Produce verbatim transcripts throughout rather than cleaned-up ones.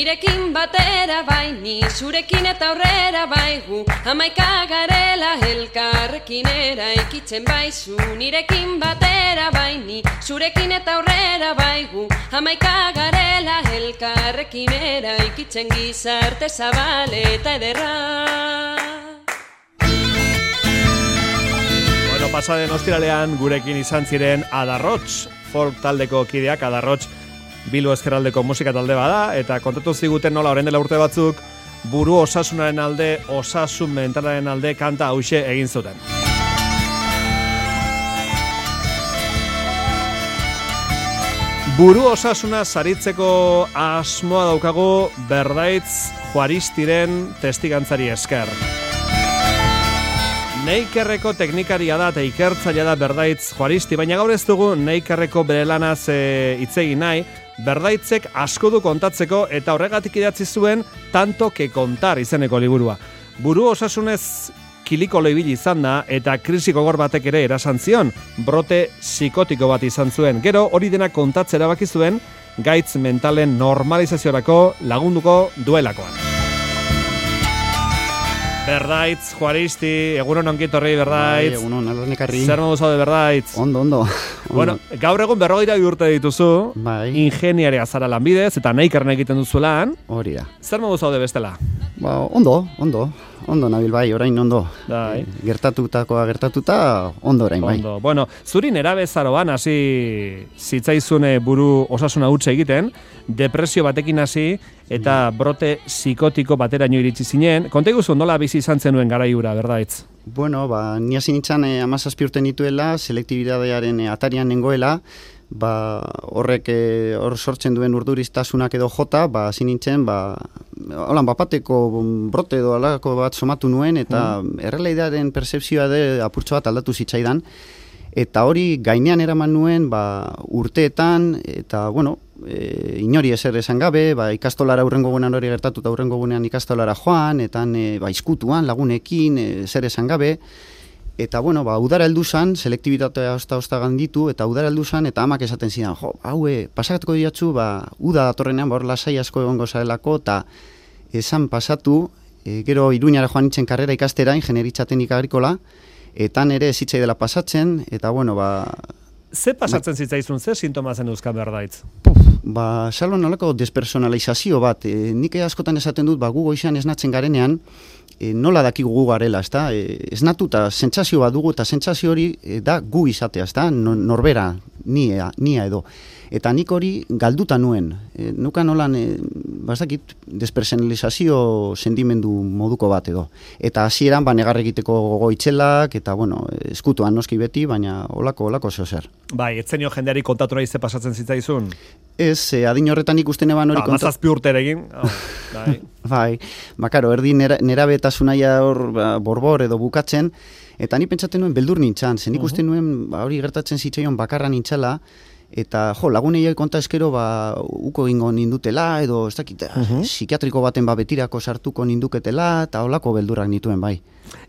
nirekin batera bai, ni zurekin eta aurrera bai, gu hamaika garela elkarrekin eraikitzen bai, zu nirekin batera bai, ni zurekin eta aurrera bai, gu hamaika garela elkarrekin eraikitzen gizarte zabal eta ederra. Bueno, pasaden ostiralean gurekin izan ziren Adarrots, folk taldeko kideak. Adarrots Bilbo ezkerraldeko musika talde bada, eta kontatu ziguten nola orain dela urte batzuk buru osasunaren alde, osasun mentalaren alde kanta hauxe egin zuten. Buru osasuna saritzeko asmoa daukagu Berdaitz Juaristiren testigantzari esker. Neikerreko teknikaria da eta ikertzailea da Berdaitz Juaristi, baina gaur ez dugu Neikerreko bere lanaz e, itzegi nahi. Berdaitzek asko du kontatzeko eta horregatik idatzi zuen Tanto que contar izeneko liburua. Buru osasunez kilikolo ibili izan da eta krisi gogor batek ere erasan zion, brote psikotiko bat izan zuen. Gero hori dena kontatzera erabaki zuen gaitz mentalen normalizaziorako lagunduko duelakoan. Berdaitz Juaristi, egunon onkit horri Berdaitz. Bai, egunon, alornekarri. Zer modu zaude Berdaitz? Ondo, ondo. Bueno, gaur egun berrogeira bi urte dituzu, bai. Ingeniaria zara lanbidez eta Neikerren egiten duzuelan. Hori da. Zer modu zaude bestela? Ba, ondo, ondo. Ondo nabil bai, orain ondo. Bai. E, gertatutakoa gertatuta, ondo orain bai. Ondo. Bueno, zuri nerabezaroan hasi zitzaizune buru osasuna hutsa egiten, depresio batekin hasi eta brote psikotiko bateraino iritsi zinen. Konta iguzu nola bizi izan zenuen garaiura, Berdaitz? Bueno, ba, ni hasi nintzen eh, amazazpi urte nituela, selektibidadearen eh, atarian nengoela, ba, horrek eh, hor sortzen duen urduriztasunak edo jota, ba, hasi nintzen, ba, holan, bapateko brote edo alako bat somatu nuen, eta mm. errealitatearen percepzioa de apurtxo bat aldatu zitzaidan, eta hori gainean eraman nuen, ba, urteetan, eta, bueno, e, inori ezer esan gabe, ba, ikastolara aurrengo gunean hori gertatu, eta aurrengo gunean ikastolara joan, eta e, ba, izkutuan, lagunekin, ezer esan gabe, eta, bueno, ba, udara heldu zan, selektibitatea osta-osta ganditu, eta udara heldu zan, eta amak esaten zidan, jo, haue, pasakatuko diatzu, ba, uda datorrenean, ba, hor lasai asko egongo zarelako, eta esan pasatu, e, gero Iruñara joan nintzen karrera ikastera, ingenieritza teknika agrikola, eta nere zitzai dela pasatzen, eta, bueno, ba... Ze pasatzen zitzaizun, ze sintoma zen euskan Berdaitz? Puf, ba, salon nolako despersonalizazio bat, e, nik askotan esaten dut, ba, gu goizan esnatzen garenean, e, nola dakigu gu garela, ezta? E, esnatu eta sentsazio bat dugu, eta sentsazio hori e, da gu izatea, ezta? No, norbera, nia, nia edo. Eta nik hori galduta nuen. E, nukan nolan, e, bazakit, despersonalizazio sentimendu moduko bat edo. Eta hasieran ba, negar egiteko gogoitzelak, eta, bueno, eskutuan noski beti, baina olako, olako zeo zer. Bai, etzenio jendeari kontatu nahi ze pasatzen zitzaizun? Ez, e, adin horretan ikusten eban hori kontatu. Ba, mazazpi urte egin. Oh, bai. Bai, bakaro, erdi nera, nerabetasunaia hor ba, borbor edo bukatzen, eta ni pentsaten nuen beldur nintzan, zen ikusten uh -huh. nuen ba, hori gertatzen zitzaion bakarra nintzala, eta jo, lagunei konta eskero ba, uko egingo nindutela, edo ez dakit, uh -huh. psikiatriko baten ba, betirako sartuko ninduketela, eta holako beldurrak nituen bai.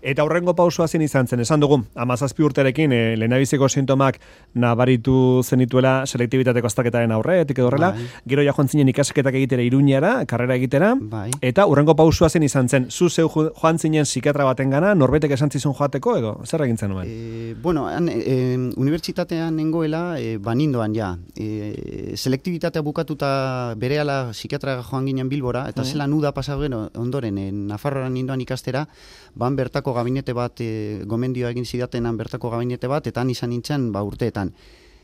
Eta aurrengo pausua zen izan zen, esan dugu, amazazpi urterekin e, lehenabiziko sintomak nabaritu zenituela selektibitateko azterketaren aurretik edo horrela, bai. Gero ja joan zinen ikasketak egitera Iruñara, karrera egitera, bai. Eta aurrengo pausua zen izan zen, zu zeu joan zinen psikiatra baten gana, norbetek esan zizun joateko edo, zer egin zenuen? E, bueno, han, e, unibertsitatean nengoela, e, banindoan ja, e, selektibitatea bukatuta berehala psikiatra joan ginen Bilbora, eta uh -huh. zelan uda pasagen ondoren, e, Nafarroan nindoan ikastera, ban bertako gabinete bat, e, gomendioa egin zidatenan bertako gabinete bat, eta han izan nintzen ba, urteetan.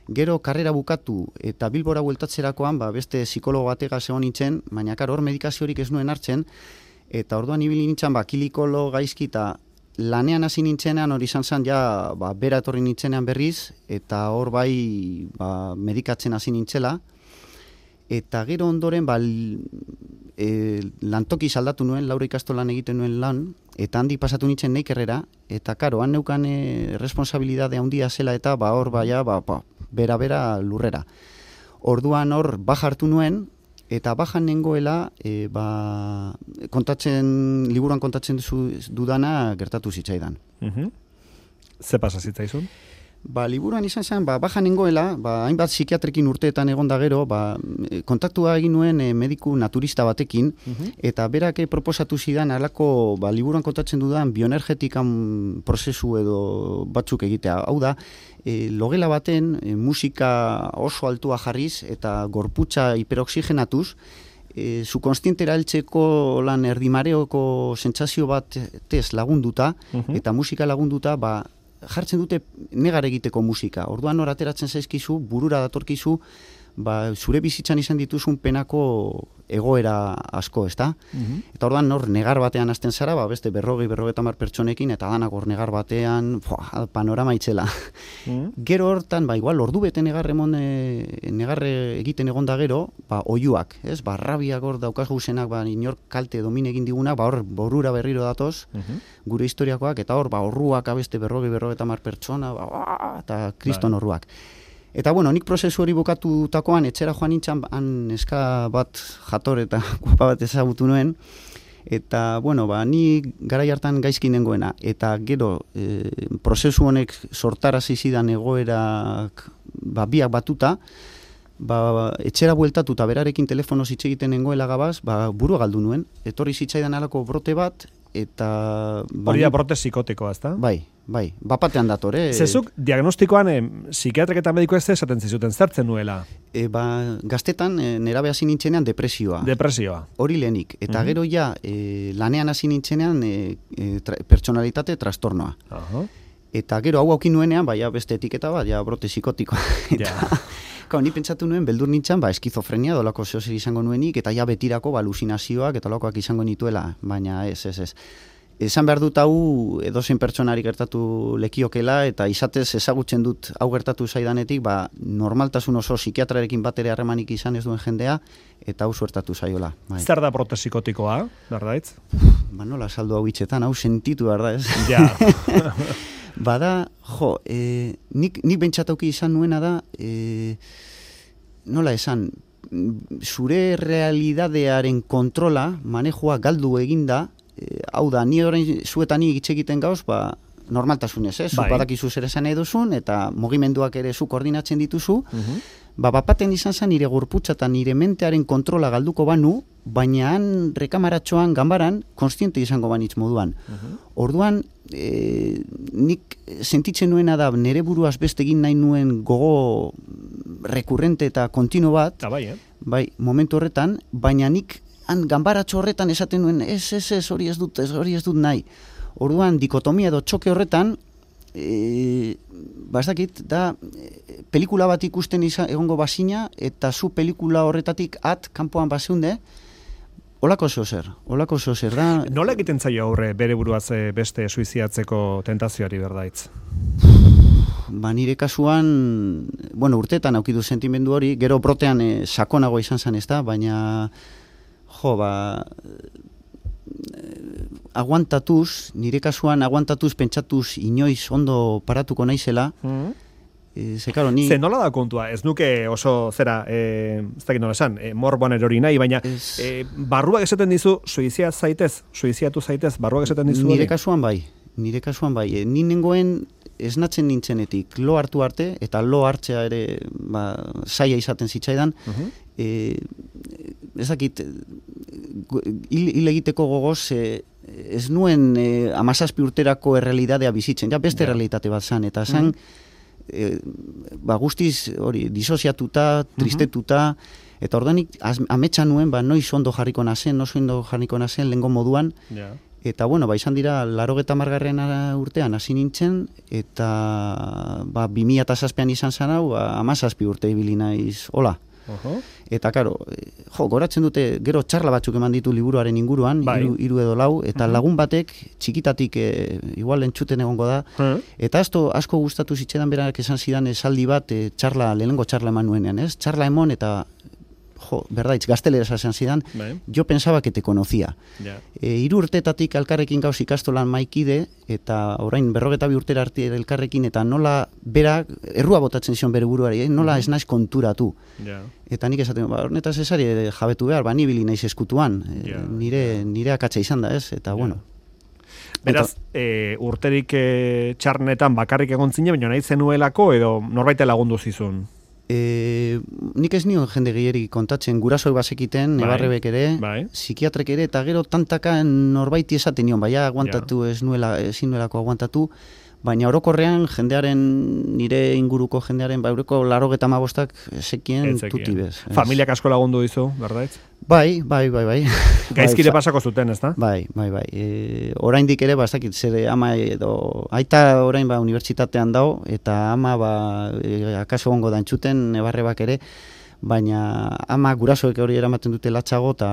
Gero karrera bukatu eta Bilbora bueltatzerakoan ba, beste psikologo batega zegoen nintzen, baina kar, hor medikaziorik ez nuen hartzen, eta orduan ibili nintzen ba, kilikolo gaizki eta lanean hasi nintzenean hori izan zen ja ba, bera etorri nintzenean berriz, eta hor bai ba, medikatzen hasi nintzela, eta gero ondoren ba, e, lantoki saldatu nuen, Laura ikastolan egiten nuen lan, eta handi pasatu nintzen Neikerrera, eta karo, han neukan e, responsabilidade handia zela, eta ba, hor baia, ba, ba, bera-bera lurrera. Orduan hor baja hartu nuen, eta bajan nengoela, e, ba, kontatzen, liburuan kontatzen zu, dudana gertatu zitzaidan. Uh-huh. Ze pasa zitzaizun? Ba, liburuan izan zen, ba, bajan nengoela, ba, hainbat psikiatrekin urteetan egon da gero, ba, kontaktua egin nuen e, mediku naturista batekin, uh-huh. eta berak proposatu zidan, alako, ba, liburuan kontatzen dudan, bioenergetikan prozesu edo batzuk egitea. Hau da, e, logela baten, e, musika oso altua jarriz, eta gorputza hiperoxigenatuz, e, subkonstientera heltzeko lan erdimareoko sentsazio bat tez lagunduta, uh-huh. eta musika lagunduta, ba, jartzen dute negar egiteko musika. Orduan hor ateratzen zaizkizu, burura datorkizu, ba, zure bizitzan izan dituzun penako egoera asko, ezta? Mm-hmm. Eta orduan hor negar batean hasten zara, ba, beste berrogei, berrogeita hamar pertsonekin, eta danak hor negar batean, foa, panorama itzela. Mm-hmm. Gero hortan, ba, igual, ordu bete negar emon, e, negar egiten egon da gero, ba, oiuak, ez? Ba, rabiak hor daukaz guzenak, ba, inor kalte domine egin digunak, ba, hor borura berriro datoz, mm-hmm. gure historiakoak, eta hor, ba, horruak abeste berrogei, berrogeita hamar pertsona, ba, eta kriston horruak. Eta, bueno, nik prozesu hori bukatutakoan, etxera joan nintzen, han neska bat jator eta guapa bat ezagutu nuen, eta, bueno, ba, ni garai hartan gaizki nengoena, eta gero, e, prozesu honek sortarazi zidan egoerak, ba, biak batuta, ba, etxera bueltatuta berarekin telefono hitz egiten nengoela gabaz, ba, burua galdu nuen, etorri zitzaidan alako brote bat, eta... Hori da brote psikotikoa, ezta? Bai, bai, bapatean datore. Zezuk, diagnostikoan, eh, psikiatrek eta mediko ez esaten zizuten, zertzen nuela? E, ba, gaztetan, e, nerabe hasi nintzenean depresioa. Depresioa. Hori lehenik. Eta uh-huh. gero ja, e, lanean hasi nintzenean e, e, tra, personalitate trastornoa. Uh-huh. Eta gero hau aukin nuenean, bai, beste etiketa bat, ja, brote psikotikoa. Eta... Yeah. Kau, ni pentsatu nuen, beldur nintzen, ba, eskizofrenia, dolako zehozer izango nuenik, eta ja betirako, ba, alusinazioak, eta lokoak izango nituela, baina ez, ez, ez. Esan behar dut hau, edozein pertsonari gertatu lekiokela, eta izatez ezagutzen dut hau gertatu zaidanetik, ba, normaltasun oso psikiatrarekin bat ere harremanik izan ez duen jendea, eta hau suertatu zaiola. Bai. Zer da brote psikotikoa, berdaitz? Ba, nola saldu hau hitzetan, hau sentitu, berda, ez? Ja. Bada, jo, e, nik, nik bentsatauki izan nuena da, e, nola esan, zure realidadearen kontrola, manejoa galdu eginda, e, hau da, ni orain zuetan ni hitz egiten gauz, ba, normaltasunez, eh? Zuk badakizu zer esan eduzun, eta mugimenduak ere zu koordinatzen dituzu, uh-huh. ba, bapaten izan zen nire gorputza eta nire mentearen kontrola galduko banu, baina han rekamaratxoan, ganbaran, konstiente izango banitz moduan. Uh-huh. Orduan, e, nik sentitzen nuena da, nire buruaz beste egin nahi nuen gogo rekurrente eta kontinu bat, ah, bai, eh? bai, momentu horretan, baina nik han ganbaratxo horretan esaten nuen, ez, ez, ez, hori ez dut, ez, hori ez dut nahi. Orduan, dikotomia edo txoke horretan, e, bastakit, da, e, pelikula bat ikusten izan, egongo bazina, eta zu pelikula horretatik at, kanpoan bazeunde, olako zeo zer, olako zeo zer, da... Nola egiten zaio aurre bere buruaz beste suizidatzeko tentazioari, berdaitz? Ba, nire kasuan, bueno, urteetan aukidu sentimendu hori, gero brotean e, sakonago izan zen ez da, baina, jo, ba... aguantatuz, nire kasuan aguantatuz, pentsatuz, inoiz ondo paratuko naizela, mm-hmm. e, ze, karo, ni... Ze nola da kontua, ez nuke oso, zera, e, ez dakit nola esan, e, morboan erori nahi, baina ez... e, barruak esaten dizu, suizia zaitez, suiziatu zaitez, barruak esaten dizu? Nire kasuan bai, nire kasuan bai, e, ni nengoen esnatzen nintzenetik, lo hartu arte, eta lo hartzea ere, ba, zaila izaten zitzaidan, uh-huh. e, ezakit, hil, hil egiteko gogoz, e, ez nuen e, amazazpi urterako errealidadea bizitzen, ja beste yeah. realitate bat zan, eta zan, uh-huh. e, ba, guztiz, hori, disoziatuta, tristetuta, uh-huh. eta ordanik ametsa nuen, ba, noiz ondo jarriko nazen, noiz ondo jarriko nazen, lehengo moduan, yeah. Eta, bueno, ba, izan dira, larogeta margarren urtean hasi nintzen, eta, ba, bi mila eta zazpian izan zan hau, ba, amazazpi urte ibili naiz, hola. Uh-huh. Eta, karo, jo, goratzen dute, gero txarla batzuk eman ditu liburuaren inguruan, bai. iru, iru edo lau, eta uh-huh. lagun batek, txikitatik, e, igual entzuten egongo da, uh-huh. eta asto, asko gustatu zitzedan berak esan zidan esaldi bat, e, txarla, lehenengo txarla eman nuenean, ez? Txarla emon, eta... Jo, berdaitz, gaztelera esan zidan, bai. Yo pensaba que te conocía. Yeah. E, iru urtetatik elkarrekin gauz ikastolan maikide, eta orain berrogeta bi urtera arte elkarrekin, eta nola bera, errua botatzen zion bere buruari, eh? nola mm-hmm. ez naiz konturatu. Yeah. Eta nik esaten, ba, hornetaz esari jabetu behar, ba, nibili naiz eskutuan, yeah. nire, nire akatsa izan da, ez? Eta, yeah. bueno... Beraz, Eta, e, urterik e, txarnetan bakarrik egon zine, baina nahi zenuelako edo norbaite lagundu zizun? E, nik ez nion jende gehieri kontatzen, gurasoi bazekiten, bai, nebarrebek ere, bai. psikiatrek ere, eta gero tantaka norbaiti esaten nion, baina aguantatu ja. ez nuela, ezin nuelako aguantatu, baina orokorrean jendearen, nire inguruko jendearen, ba, eureko larogeta amabostak sekien tuti bez. Familiak asko lagundu dizu, berdaitz? Bai, bai, bai, bai. Gaizkire pasako zuten, ez da? Bai, bai, bai. E, oraindik ere, ba, ez dakit, zer ama edo, aita orain ba, unibertsitatean dao, eta ama, ba, e, akaso gongo da entzuten, nebarrebak ere, baina ama gurasoek hori eramaten dute latxago, eta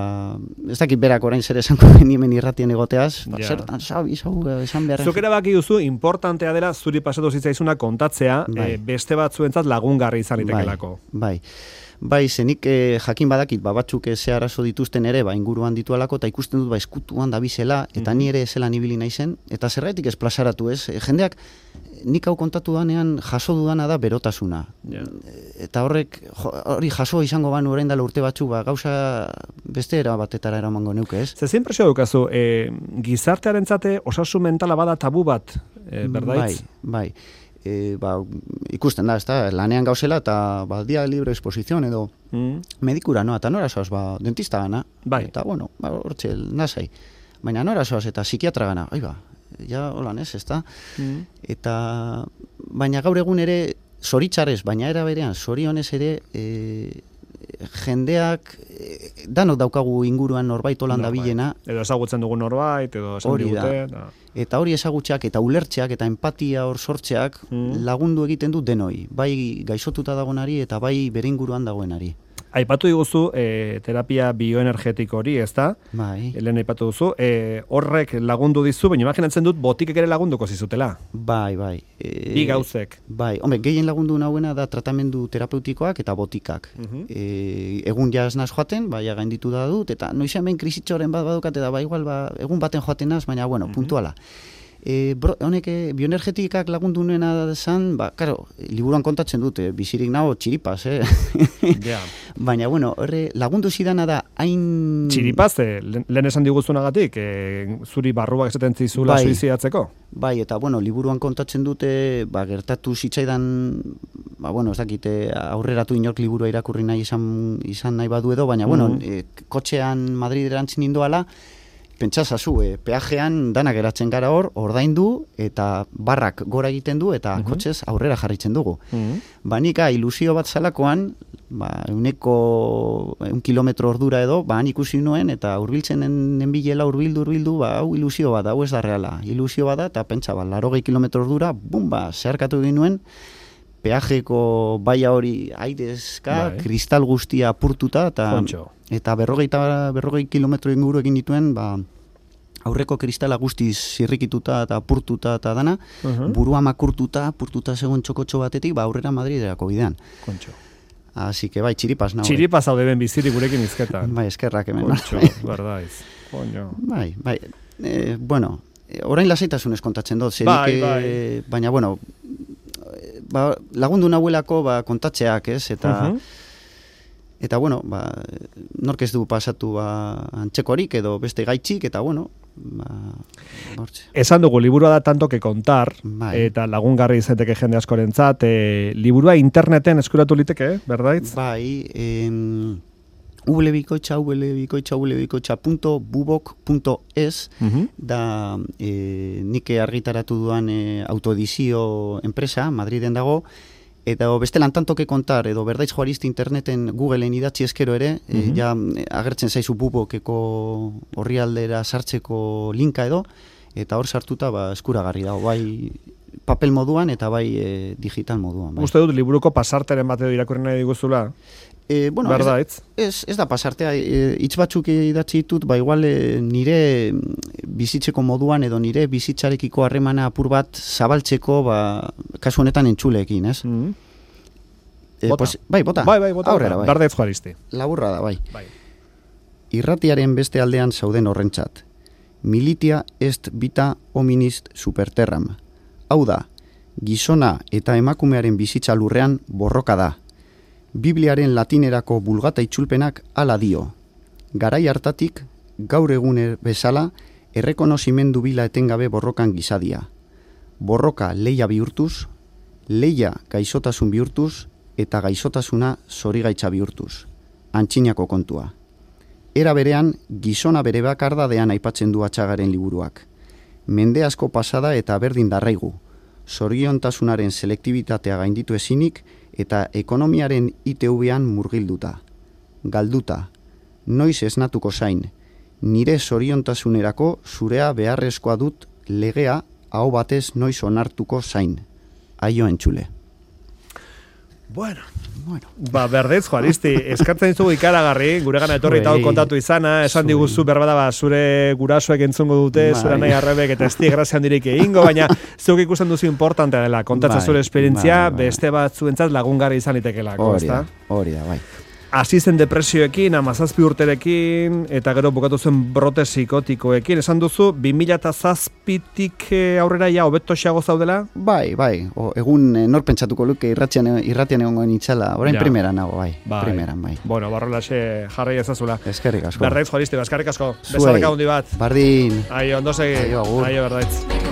ez dakit berak orain zer esango hemen irratien egoteaz, ba, ja. Zertan, sabi, sabi, esan behar. Zuk erabaki duzu, importantea dela, zuri pasatu zitzaizuna kontatzea, bai. e, beste batzuentzat lagungarri izan itekelako. Bai, bai. Bai, zenik eh, jakin badakit, ba, batzuk ze arazo dituzten ere, ba, inguruan ditualako, eta ikusten dut, ba, eskutuan da bizela, eta mm-hmm. ni ere zelan ibili naizen, eta zergaitik ez plazaratu ez, e, jendeak, nik hau kontatu danean jaso dudana da berotasuna. Yeah. Eta horrek, jo, hori jaso izango banu orain dela urte batzu, ba, gauza beste era batetara eramango neuke ez. Ze impresio dukazu, e, gizartearentzate osasun mentala bada tabu bat, e, berdaitz? Bai, bai. E, ba, ikusten da, ez da, lanean gauzela, eta ba, dia libre exposizion edo mm. medikura, no? Eta nora soaz, ba, dentista gana, bai. Eta, bueno, ba, hortxe, nasai. Baina nora soaz, eta psikiatra gana, ai ba, ja, holan ez, ez da? Mm. Eta, baina gaur egun ere, zoritxarrez, baina era berean, zorionez ere, e, jendeak, e, danok daukagu inguruan norbait holan no, dabilena. Bai. Edo ezagutzen dugu norbait, edo esan digute. Da. Eta hori ezagutxeak eta ulertxeak eta empatia hor sortxeak mm. lagundu egiten du denoi. Bai gaixotuta dagoenari eta bai bere inguruan dagoenari. Aipatu diguzu e, terapia bioenergetiko hori, ez da? Bai. Helen aipatu duzu. E, horrek lagundu dizu, baina imaginatzen dut botikek ere lagunduko zizutela. Bai, bai. E, Bi gauzek. Bai, hombre, gehien lagundu nahuena da tratamendu terapeutikoak eta botikak. Uh-huh. E, egun jaz naz joaten, bai, gainditu da dut, eta noizean ben krisitxoren bat badukat, eta ba, igual, ba, egun baten joaten naz, baina, bueno, uh-huh. puntuala. E, bro, honek, bioenergetikak lagundu nuena zan, ba, karo, liburuan kontatzen dute, bizirik nago txiripaz, eh? Yeah. Baina, bueno, horre, lagundu zidana da, hain... Txiripaz, eh, lehen esan diguzunagatik, eh, zuri barruak esaten zizula bai, suizidatzeko? Bai, eta, bueno, liburuan kontatzen dute, ba, gertatu zitzaidan, ba, bueno, ez dakite, aurreratu inork liburua irakurri nahi izan, izan nahi badu edo, baina, mm-hmm. bueno, e, kotxean Madriderantzin indoala, pentsazazu, e, peajean danak geratzen gara hor, ordaindu eta barrak gora egiten du eta uh-huh. kotxez aurrera jarritzen dugu. Uh-huh. Banika ilusio bat zalakoan, ba, euneko un kilometro ordura edo, ba, han ikusi nuen eta urbiltzen nenbilela urbildu, urbildu, ba, hau ilusio bat, hau ez da reala. Ilusio bat da, eta pentsa, ba, larogei kilometro ordura, bum, ba, zeharkatu egin nuen, peajeko baia hori airezka, bai. Kristal guztia apurtuta, eta, eta berrogei, berrogei kilometro inguru egin dituen, ba, aurreko kristala guztiz zirrikituta eta apurtuta eta dana, uh-huh. burua makurtuta, apurtuta segun txokotxo batetik, ba, aurrera Madriderako bidean. Kontxo. Así que bai, txiripaz nago. Txiripaz hau deben bizirik gurekin izketan. Bai, eskerrak hemen. Kontxo, berdaiz. Koño. Bai, bai. E, bueno, orain lasaitasunez kontatzen dut. Bai, bai. Baina, bueno, ba, lagundu nahuelako ba, kontatzeak, ez? Eta, uh-huh. eta bueno, ba, nork ez du pasatu ba, antxekorik edo beste gaitxik, eta bueno, ba, esan dugu, liburua da tanto que kontar, bai. Eta lagungarri izateke jende askorentzat, e, liburua interneten eskuratu liteke, berdaitz? Bai, em, www.bikoitza www.bikoitza www.bikoitza punto bubok punto es uh-huh. da e, nik argitaratu duan e, autoedizio enpresa, Madriden dago, eta bestelan tanto que kontar, edo berdaitz joariste interneten Googleen idatzi eskero ere, uh-huh. e, ja agertzen zaizu bubokeko orrialdera sartzeko linka edo, eta hor sartuta ba, eskuragarri dago, bai papel moduan eta bai e, digital moduan. Bai. Uste dut, liburuko pasarteren bat edo irakurri nahi diguzula? E, bueno, ez, ez, ez da pasartea, e, hitz batzuk idatzi ditut, ba igual e, nire bizitzeko moduan edo nire bizitzarekiko harremana apur bat zabaltzeko, ba, kasu honetan entzuleekin, ez? Mm-hmm. E, bota. Pues, bai, bota. Bai, bai, bota. Aurrera, bai. Bardez Juaristi. Laburra da, bai. bai. Irratiaren beste aldean zauden horrentzat. Militia est vita hominist superterram. Hau da, gizona eta emakumearen bizitza lurrean borroka da. Bibliaren latinerako bulgata itzulpenak hala dio. Garai hartatik, gaur eguner bezala, errekonozimendu bila etengabe borrokan gizadia. Borroka leia bihurtuz, leia gaixotasun bihurtuz, eta gaixotasuna zorigaitza bihurtuz. Antxinako kontua. Era berean, gizona bere bakardadean aipatzen du Atxagaren liburuak. Mende asko pasada eta berdin darraigu, zoriontasunaren selektibitatea gainditu ezinik eta ekonomiaren I T V-an murgilduta. Galduta, noiz esnatuko zain, nire zoriontasunerako zurea beharrezkoa dut legea hau batez noiz onartuko zain. Aio entzule. Bueno, bueno. Ba, berdez, Juaristi, eskartzen dizugu ikaragarri, gure gana etorri eta kontatu izana, esan diguzu berbada ba, zure gurasoek entzungo dute, bai. Zure nahi arrebek eta esti grazia handirik egingo, baina zuk ikusten duzu importantea dela, kontatzen bai, zure esperientzia, bai, bai. Beste batzuentzat lagungarri izan itekelako, ezta? Hori da, bai. Hasi zen depresioekin, amazazpi urterekin, eta gero bukatu zen brote psikotikoekin. Esan duzu, bi mila zazpitik aurrera ja hobetoxeago zaudela? Bai, bai. O, egun nor pentsatuko luke irratian, irratian egongo nintzala. Orain ja. Primeran nago, bai. bai. Primeran, bai. Bueno, barrolaxe jarrai ezazula. Eskerrik asko. Berraitz, Juaristi, eskerrik asko. Bezarka hundi bat. Bardin. Aio, ondo segi. Aio, agur. Aio, berraitz.